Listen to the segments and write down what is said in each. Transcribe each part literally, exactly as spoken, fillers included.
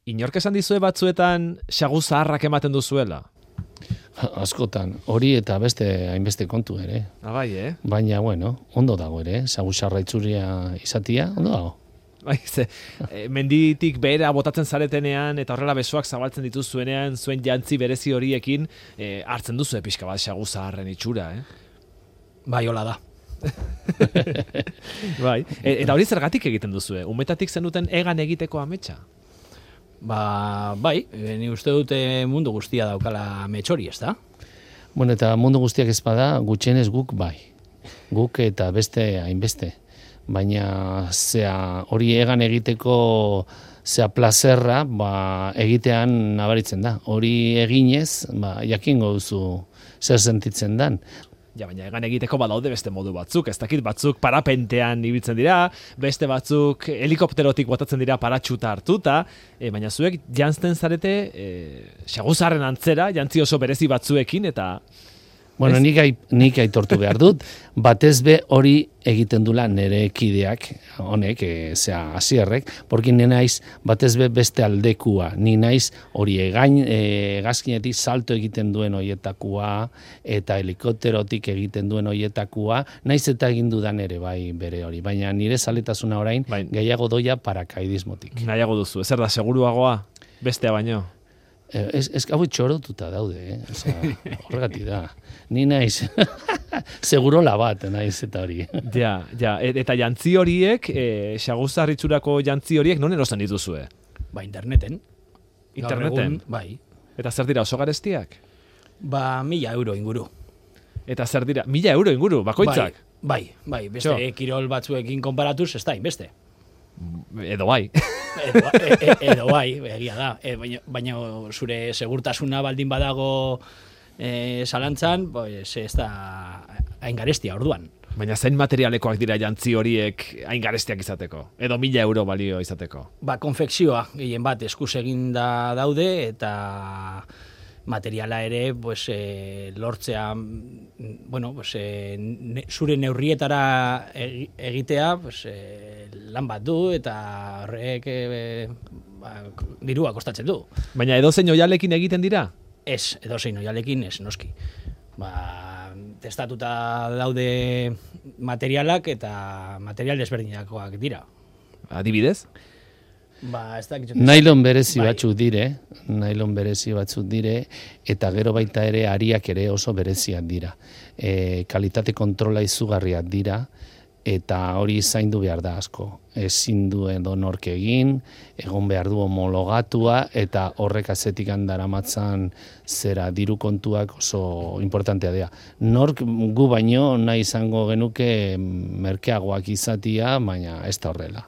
Inork esan dizue batzuetan xagu zaharrak ematen duzuela? Askotan, hori eta beste hainbeste kontu ere. Abai, eh? Baina, bueno, ondo dago ere, xagu xarra itzuria izatia, ondo dago. Bai, ze, e, menditik behera botatzen zaretenean eta horrela besoak zabaltzen dituzuenean zuen jantzi berezi horiekin e, hartzen duzu pixka bat xagu zaharren itxura, eh? Bai, hola da. Bai, e, eta hori zergatik egiten duzue? Umetatik zenuten egan egiteko ametsa? Ba, bai, ni uste dute mundu guztia daukala metxori, ez da? Bueno, eta mundu guztiak ez bada, gutxienez guk bai. Guk eta beste hainbeste. Baina zea hori egan egiteko zea plazerra, ba, egitean nabaritzen da. Hori eginez, ba, jakingo duzu zer sentitzen dan. Ja, baina egan egiteko badaude beste modu batzuk, ez dakit batzuk parapentean ibiltzen dira, beste batzuk helikopterotik botatzen dira paratxuta hartuta, e, baina zuek jantzten zarete e, xaguzarren antzera, jantzi oso berezi batzuekin, eta... Bueno, nik, ai, nik aitortu behar dut, batez be hori egiten dula nire kideak, honek, e, zea, asierrek, porque ni naiz batez be beste aldekua, ni naiz hori egain, e, gazkinetik salto egiten duen hoietakua, eta helikopterotik egiten duen hoietakua, naiz eta egin dudan ere bai bere hori, baina nire zaletasuna orain, bai, gehiago doia parakaidismotik. Nahiago duzu, ezer da, seguruagoa, bestea baino? Ez, ez gau txorotuta daude, eh? Osea, horregatik da. Ni naiz, segurola bat naiz eta hori. Ja, ja, eta jantzi horiek, e, xaguzarritxurako jantzi horiek, non erosten dituzue? Ba, interneten. Interneten? Egun, bai. Eta zer dira, oso garestiak? Ba, mila euro inguru. Eta zer dira, mila euro inguru, bakoitzak? Bai, bai, bai, beste Txo. kirol batzuekin konparatuz, ez da, beste. Edo bai. edo, e, e, edo bai, egia da. E, baina, baina zure segurtasuna baldin badago e, zalantzan, pues, ez da hain garestia orduan. Baina zein materialekoak dira jantzi horiek hain garestiak izateko? Edo mila euro balio izateko? Ba, konfekzioa, gehien bat, eskuz eginda daude, eta materiala ere, pues, e, lortzea, bueno, pues, e, ne, zure neurrietara egitea, pues, e, lan bat du, eta horrek e, ba, dirua kostatzen du. Baina edozein oialekin egiten dira? Ez, edozein oialekin, ez, noski. Ba, testatuta daude materialak eta material desberdinakoak dira. Adibidez? Ba, ez da, nailon berezi bai. batzuk dire, nailon berezi batzuk dire, eta gero baita ere ariak ere oso bereziak dira. E, kalitate kontrola izugarriak dira, eta hori zaindu behar da asko. Ezin du edo nork egin, egon behar du homologatua, eta horrek azetik daramatzan zera diru kontuak oso importantea dira. Nork gu baino nahi izango genuke merkeagoak izatia, baina ez da horrela.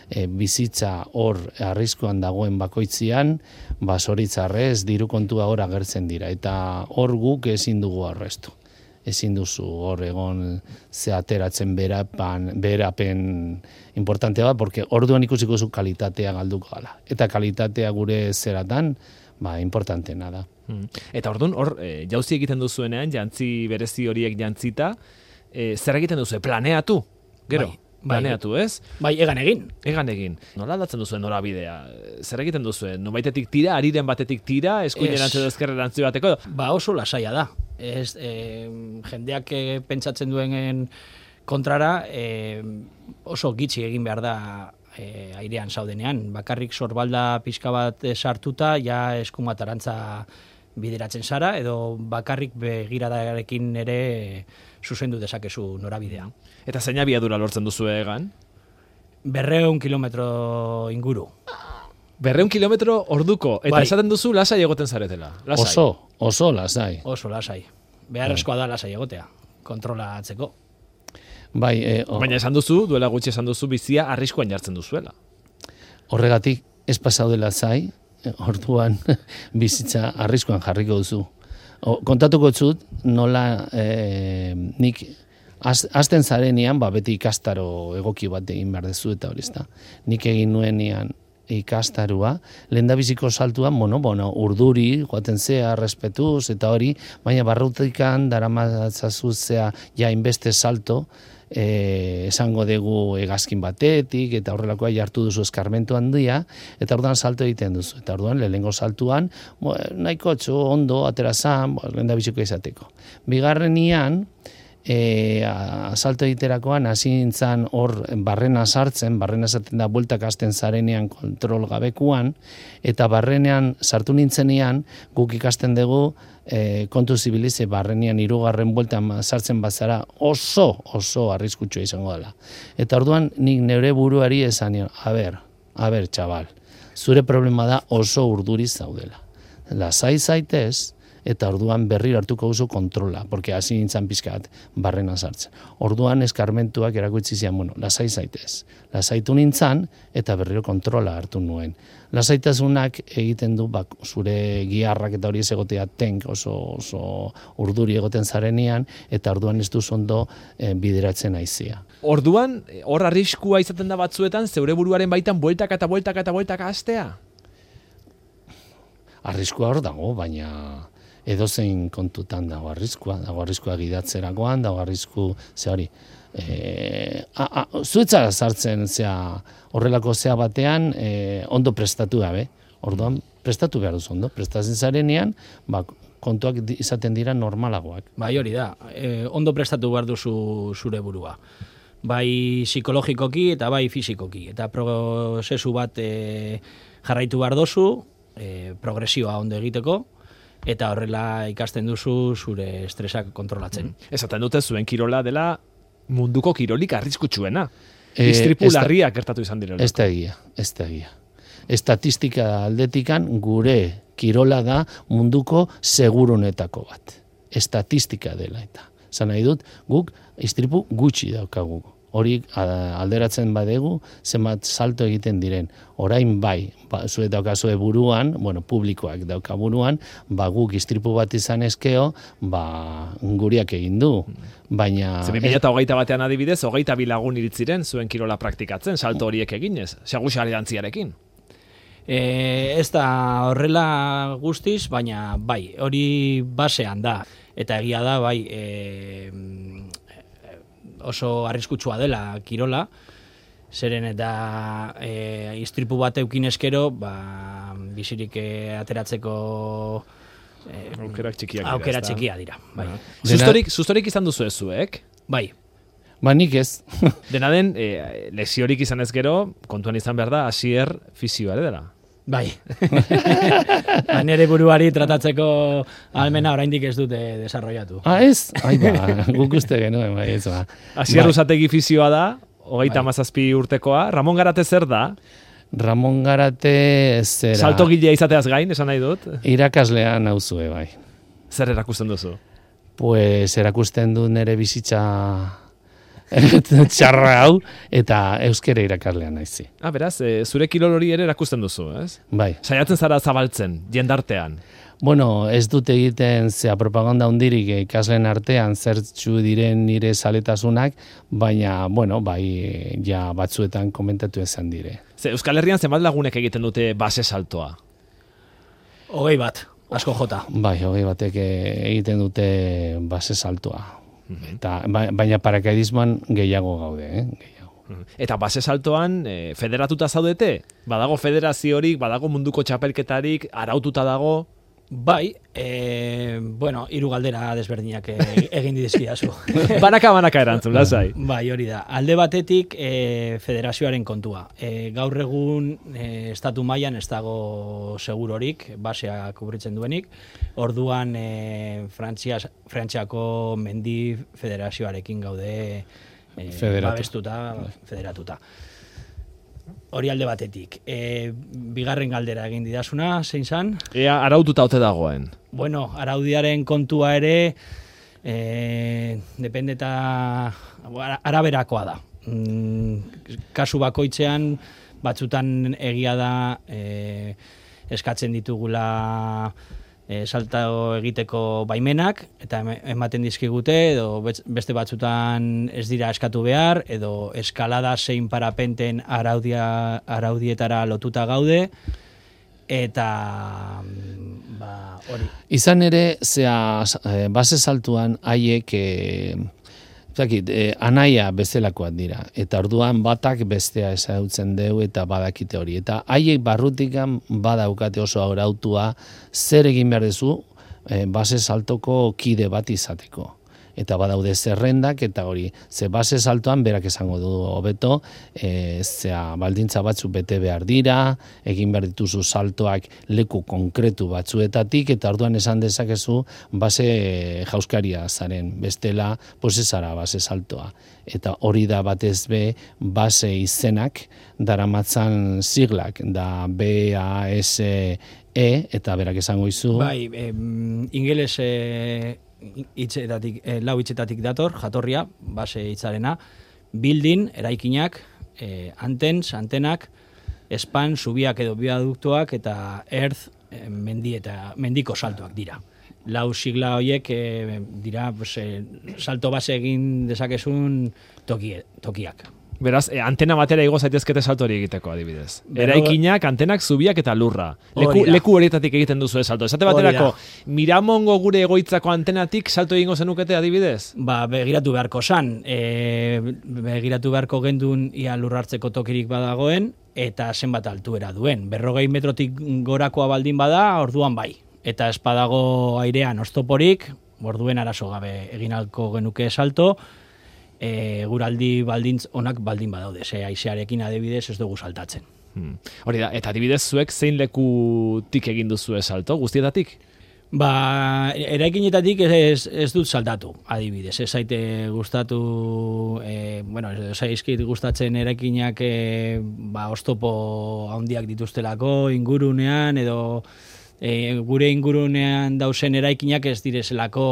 E, bizitza hor arriskuan dagoen bakoitzian, ba zoritzarrez diru kontua hor agertzen dira, eta hor guk ezin dugu arrestu. Ezin duzu hor egon ze ateratzen berapen, berapen importantea da, porque orduan ikusiko zu kalitatea galduko gala. Eta kalitatea gure zeratan, ba, importantena da. Eta orduan, hor, e, jauzi egiten duzuenean, jantzi berezi horiek jantzita, e, zer egiten duzu, planeatu? Gero? Bai. Planeatu, ez? Bai, egan egin. Egan egin. Nola aldatzen duzuen norabidea? Zer egiten duzuen? Nobaitetik tira, ariren batetik tira, eskuinerantz edo ezkerrerantz bateko? Ba, oso lasaia da. Ez, e, jendeak e, pentsatzen duen kontrara, e, oso gitxi egin behar da e, airean zaudenean. Bakarrik sorbalda pixka bat sartuta, ja eskumatarantza bideratzen zara, edo bakarrik begiradarekin ere zuzendu dezakezu norabidea. Eta zein abiadura lortzen duzu egan? Berreun kilometro inguru. Berreun kilometro orduko, eta bai. Esaten duzu lasai egoten zaretela. Lasai. Oso, oso lasai. Oso lasai. Beharrezkoa da lasai egotea, kontrolatzeko. Bai, e, o... Baina esan duzu, duela gutxi esan duzu, bizia arriskuan jartzen duzuela. Horregatik ez pasaude lasai, orduan bizitza arriskuan jarriko duzu. O, kontatuko zut, nola e, nik azten zarenean, ba, beti ikastaro egoki bat egin behar dezu eta hori ezta. Nik egin nuenean ikastarua, lehendabiziko saltuan, bueno, bueno, urduri, joaten zea, respetuz, eta hori, baina barrutikan, daramatzazuz zea, ja, inbeste salto, E, esango dugu hegazkin batetik eta horrelakoa jartu duzu eskarmentu handia eta orduan salto egiten duzu eta orduan lehenengo saltuan bo, nahiko txo, ondo, atera zan lehendabiziko izateko. Bigarrenian e, a, salto egiterakoan hasi nintzen hor barrena sartzen, barrena sartzen da bueltak hasten zarenean kontrol gabekuan eta barrenean sartu nintzenean guk ikasten dugu E, kontu zibilize barrenean hirugarren bueltan sartzen bazara oso, oso arriskutsua izango dela. Eta orduan nik neure buruari esan nion, a ber, a ber, txabal, zure problema da oso urduriz zaudela. Lasai zaitez, eta orduan berriro hartuko duzu kontrola, porque hasi nintzen pizkat barrena sartzen. Orduan eskarmentuak erakutsi zian, bueno, lasai zaitez. Lasaitu nintzen, eta berriro kontrola hartu nuen. Lasaitasunak egiten du bak, zure giharrak eta hori ez egotea tenk oso, oso urduri egoten zarenean, eta orduan ez duz ondo e, bideratzen aizia. Orduan, hor arriskua izaten da batzuetan, zeure buruaren baitan bueltaka eta bueltaka eta bueltaka hastea? Arriskua hor dago, baina edozein kontutan dago arriskua, dago arriskua gidatzerakoan, dago arrisku, ze hori, e, zuetzara sartzen zea, horrelako zea batean e, ondo prestatu gabe, orduan prestatu behar duzu ondo, prestatzen zarenean, ba, kontuak izaten dira normalagoak. Bai hori da, e, ondo prestatu behar duzu zure burua. Bai psikologikoki eta bai fisikoki, eta prozesu bat e, jarraitu behar duzu, e, progresioa ondo egiteko, eta horrela ikasten duzu zure estresak kontrolatzen. Mm. Esaten dute zuen kirola dela munduko kirolik arriskutsuena. E, Istripu larriak gertatu izan direla. Ez da egia, ez da egia. Estatistika aldetikan gure kirola da munduko segurunetako bat. Estatistika dela eta. Zan nahi dut, guk istripu gutxi daukagu. Hori alderatzen badegu, zenbat salto egiten diren. Orain bai, ba, zue daukazue buruan, bueno, publikoak dauka buruan, ba, guk istripu bat izan ezkeo, ba, guriak egin du. Baina... Zer, bi mila hogeita batean adibidez, hogeita bi lagun iritziren zuen kirola praktikatzen, salto horiek eginez, segusari dantziarekin. E, ez da horrela guztiz, baina bai, hori basean da. Eta egia da, bai, e, oso arriskutsua dela kirola, zeren eta e, istripu bat eukin eskero, ba, bizirik e, ateratzeko e, aukerak txikiak dira. Aukera txikia dira, bai. Sustorik, sustorik izan duzu ezuek? Bai. Ba, nik ez. Dena den, e, lesiorik izan ez gero, kontuan izan behar da, hasier fisioa ere dela. Bai. Nere buruari tratatzeko almena oraindik ez dute desarrollatu. Ah, ez? Ai, ba, guk uste genuen, bai, ez ba. Hasier Usategi fisioa da, hogeita hamazazpi urtekoa. Ramon Garate zer da? Ramon Garate zera... Salto gilea izateaz gain, esan nahi dut? Irakaslean nauzue, bai. Zer erakusten duzu? Pues erakusten du nere bizitza txarra hau, eta euskera irakaslean naizi. Ah, beraz, e, zure kirol hori ere erakusten duzu, ez? Bai. Saiatzen zara zabaltzen, jendartean. Bueno, ez dut egiten zea propaganda hundirik ikasleen artean zertxu diren nire zaletasunak, baina, bueno, bai, ja batzuetan komentatu ezan dire. Ze, Euskal Herrian zenbat lagunek egiten dute base saltoa? Hogei bat, asko jota. Bai, hogei batek egiten dute base saltoa. Eta, baina paracaidismoan gehiago gaude, eh? Gehiago. Eta base saltoan e, federatuta zaudete? Badago federaziorik, badago munduko txapelketarik, araututa dago? Bai, e, bueno, hiru galdera desberdinak egin dizkidazu. Banaka banaka erantzun, lasai. Bai, hori da. Alde batetik e, federazioaren kontua. E, gaur egun e, estatu mailan ez dago segurorik, basea kubritzen duenik. Orduan e, Frantzias, Frantziako mendi federazioarekin gaude e, babestuta, federatuta. Hori alde batetik. E, bigarren galdera egin didazuna, zein zan? Ea araututa ote dagoen. Bueno, araudiaren kontua ere e, dependeta araberakoa da. Mm, kasu bakoitzean batzutan egia da e, eskatzen ditugula e, salto egiteko baimenak, eta ematen dizkigute, edo beste batzutan ez dira eskatu behar, edo eskalada zein parapenten araudia, araudietara lotuta gaude, eta ba, hori. Izan ere, zea, base saltuan haiek e, zakit, e, anaia bezalakoak dira, eta orduan batak bestea ezagutzen deu eta badakite hori. Eta haiek barrutikan badaukate oso arautua zer egin behar duzu e, base saltoko kide bat izateko. Eta badaude zerrendak eta hori, ze base saltoan berak esango du hobeto, e, zea baldintza batzu bete behar dira, egin behar dituzu saltoak leku konkretu batzuetatik, eta orduan esan dezakezu base jauskaria zaren, bestela posezara base saltoa. Eta hori da batez be base izenak daramatzan siglak, da B A S E, eta berak esango izu. Bai, em, ingeles e, hitzetatik, e, lau hitzetatik dator, jatorria, base hitzarena, building, eraikinak, e, antens, antenak, span, zubiak edo biaduktoak, eta earth, e, mendi eta mendiko saltoak dira. Lau sigla horiek e, dira pues, e, salto base egin dezakezun tokie, tokiak. Beraz, eh, antena batera igo zaitezkete salto hori egiteko adibidez. Eraikinak, antenak, zubiak eta lurra. Leku, leku horietatik egiten duzu salto. Esate baterako, Miramongo gure egoitzako antenatik salto egingo zenukete adibidez? Ba, begiratu beharko san. E, begiratu beharko gendun ia lurrartzeko tokirik badagoen, eta zenbat altuera duen. Berrogei metrotik gorakoa baldin bada, orduan bai. Eta ez badago airean oztoporik, orduen arazo gabe egin alko genuke salto, E, guraldi baldintz onak baldin badaude, ze aizearekin adibidez ez dugu saltatzen. Hmm. Hori da, eta adibidez zuek zein lekutik egin duzu salto, guztietatik? Ba, eraikinetatik ez, ez dut saltatu, adibidez, ez zaite gustatu, e, bueno, ez zaizkit gustatzen eraikinak e, ba, oztopo handiak dituztelako, ingurunean, edo E, gure ingurunean dausen eraikinak ez direzelako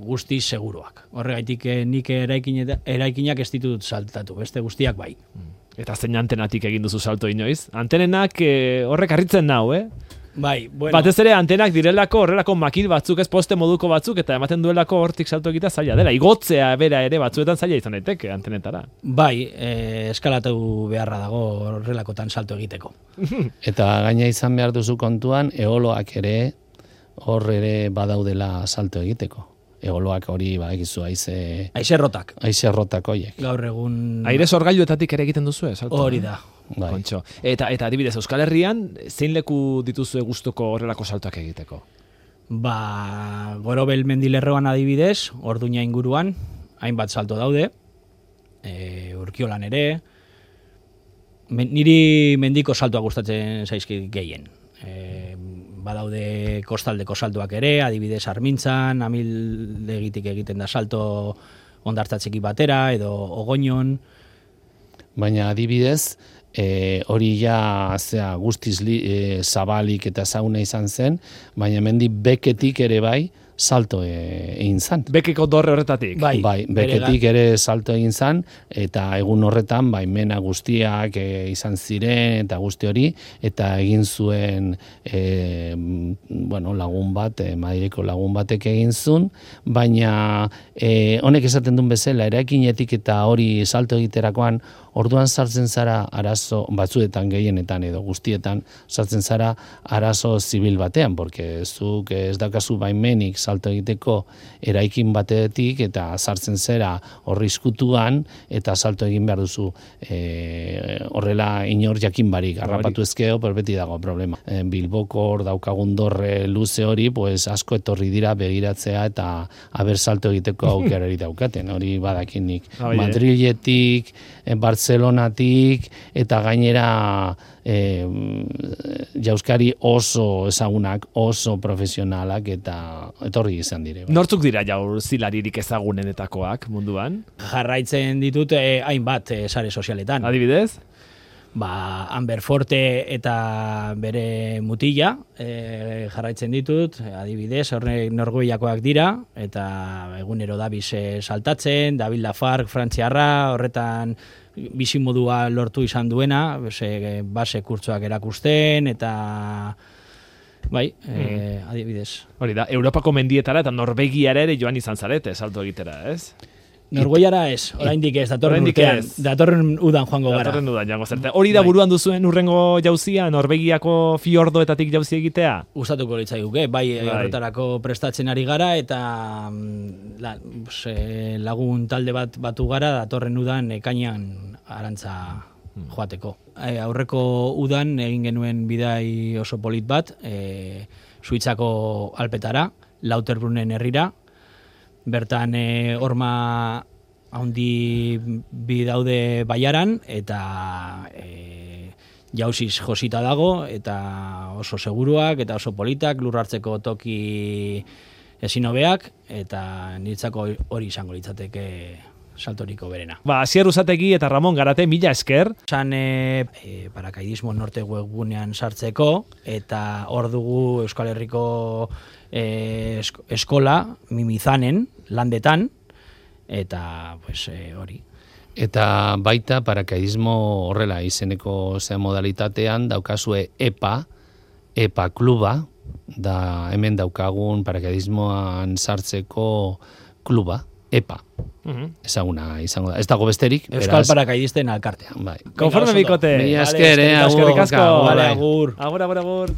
guztiz seguruak. Horregaitik e, nik eraikinak ez ditut saltatu, beste guztiak bai. Eta zein antenatik egin duzu salto inoiz? Antenenak e, horrek harritzen nau, eh? Bai, bueno. Batez ere antenak direlako horrelako makil batzuk, ez poste moduko batzuk, eta ematen duelako hortik salto egita zaila dela. Igotzea bera ere batzuetan zaila izan daiteke antenetara. Bai, e, eskalatu beharra dago horrelakotan salto egiteko. Eta gaina izan behar duzu kontuan, eoloak ere hor ere badaudela salto egiteko. Eoloak hori, ba, egizu, aize... Aizerrotak. Aizerrotak hoiek. Gaur egun... Aire sorgailuetatik ere egiten duzu, ez? Hori da. Bai. Kontxo. Eta, eta adibidez, Euskal Herrian, zein leku dituzue gustuko horrelako saltoak egiteko? Ba, Gorobel mendilerroan adibidez, Orduña inguruan, hainbat salto daude, e, Urkiolan ere, men, niri mendiko saltoa gustatzen zaizkit gehien. E, badaude kostaldeko saltoak ere, adibidez Armintzan, Amildegitik egiten da salto ondartzatzeki batera, edo Ogoinon. Baina adibidez, e, hori ja zea, guztiz li, e, zabalik eta zauna izan zen, baina mendi beketik ere bai, salto egin zan. Bekeko dorre horretatik? Bai, bai beketik ere salto egin zan, eta egun horretan, bai, mena guztiak e, izan ziren, eta guzti hori, eta egin zuen e, bueno, lagun bat, e, Madrileko lagun batek egin zuen, baina e, honek esaten duen bezala, eraikinetik eta hori salto egiterakoan, orduan sartzen zara arazo, batzuetan gehienetan edo guztietan, sartzen zara arazo zibil batean, porque zuk ez daukazu baimenik salto egiteko eraikin batetik eta sartzen zera horri izkutuan eta salto egin behar duzu e, horrela inor jakin barik, harrapatu ezkeo, pero beti dago problema. E, Bilboko hor daukagun dorre luze hori, pues asko etorri dira begiratzea eta haber salto egiteko aukerari daukaten, hori badakinik. Madriletik, Barcelonatik eta gainera e, jauskari oso ezagunak, oso profesionalak eta etorri izan dire. Nortzuk dira jauzilaririk ezagunenetakoak munduan? Jarraitzen ditut eh, hainbat eh, sare sozialetan. Adibidez? Ba, Amber Forte eta bere mutila e, jarraitzen ditut, adibidez, horre norgoiakoak dira, eta egunero dabiz e, saltatzen, David Lafargue, frantziarra, horretan bizimodua lortu izan duena, base, base kurtsoak erakusten, eta Bai, e, adibidez. Hori da, Europako mendietara eta Norvegiara ere joan izan zarete, salto egitera, ez? Norgoiara ez, oraindik ez, datorren Oraindik urtean, ez. datorren udan joango gara. Datorren dudan jango zerte. Hori da Bai. buruan duzuen urrengo jauzia, Norvegiako fiordoetatik jauzi egitea? Gustatuko litzaiguke, bai, Bai. horretarako prestatzen ari gara eta mm, la, pues, eh, lagun talde bat batu gara datorren udan ekainean arantza joateko. E, aurreko udan egin genuen bidai oso polit bat, e, Suitzako Alpetara, Lauterbrunnen herrira, bertan e, horma handi bi daude baiaran eta e, jauziz josita dago eta oso seguruak eta oso politak, lur hartzeko toki ezin hobeak eta niretzako hori izango litzateke saltoriko berena. Ba, Asier Usategi eta Ramon Garate, mila esker. San e, e, Parakaidismo Norte webgunean sartzeko eta hor dugu Euskal Herriko e, esk eskola Mimizanen landetan eta pues e, hori. Eta baita parakaidismo horrela izeneko zea modalitatean daukazue EPA, EPA kluba, da hemen daukagun parakaidismoan sartzeko kluba, EPA. Mhm. Ezaguna izango da. Ez dago besterik, Euskal beraz. Parakaidisten alkartea. Bai. Konforme Venga, oso ondo. bikote. Mila Vale, esker, eh, eskerrik asko. agur, Eskerrik asko. agur, Vale, bai. agur. Agur, agur, agur.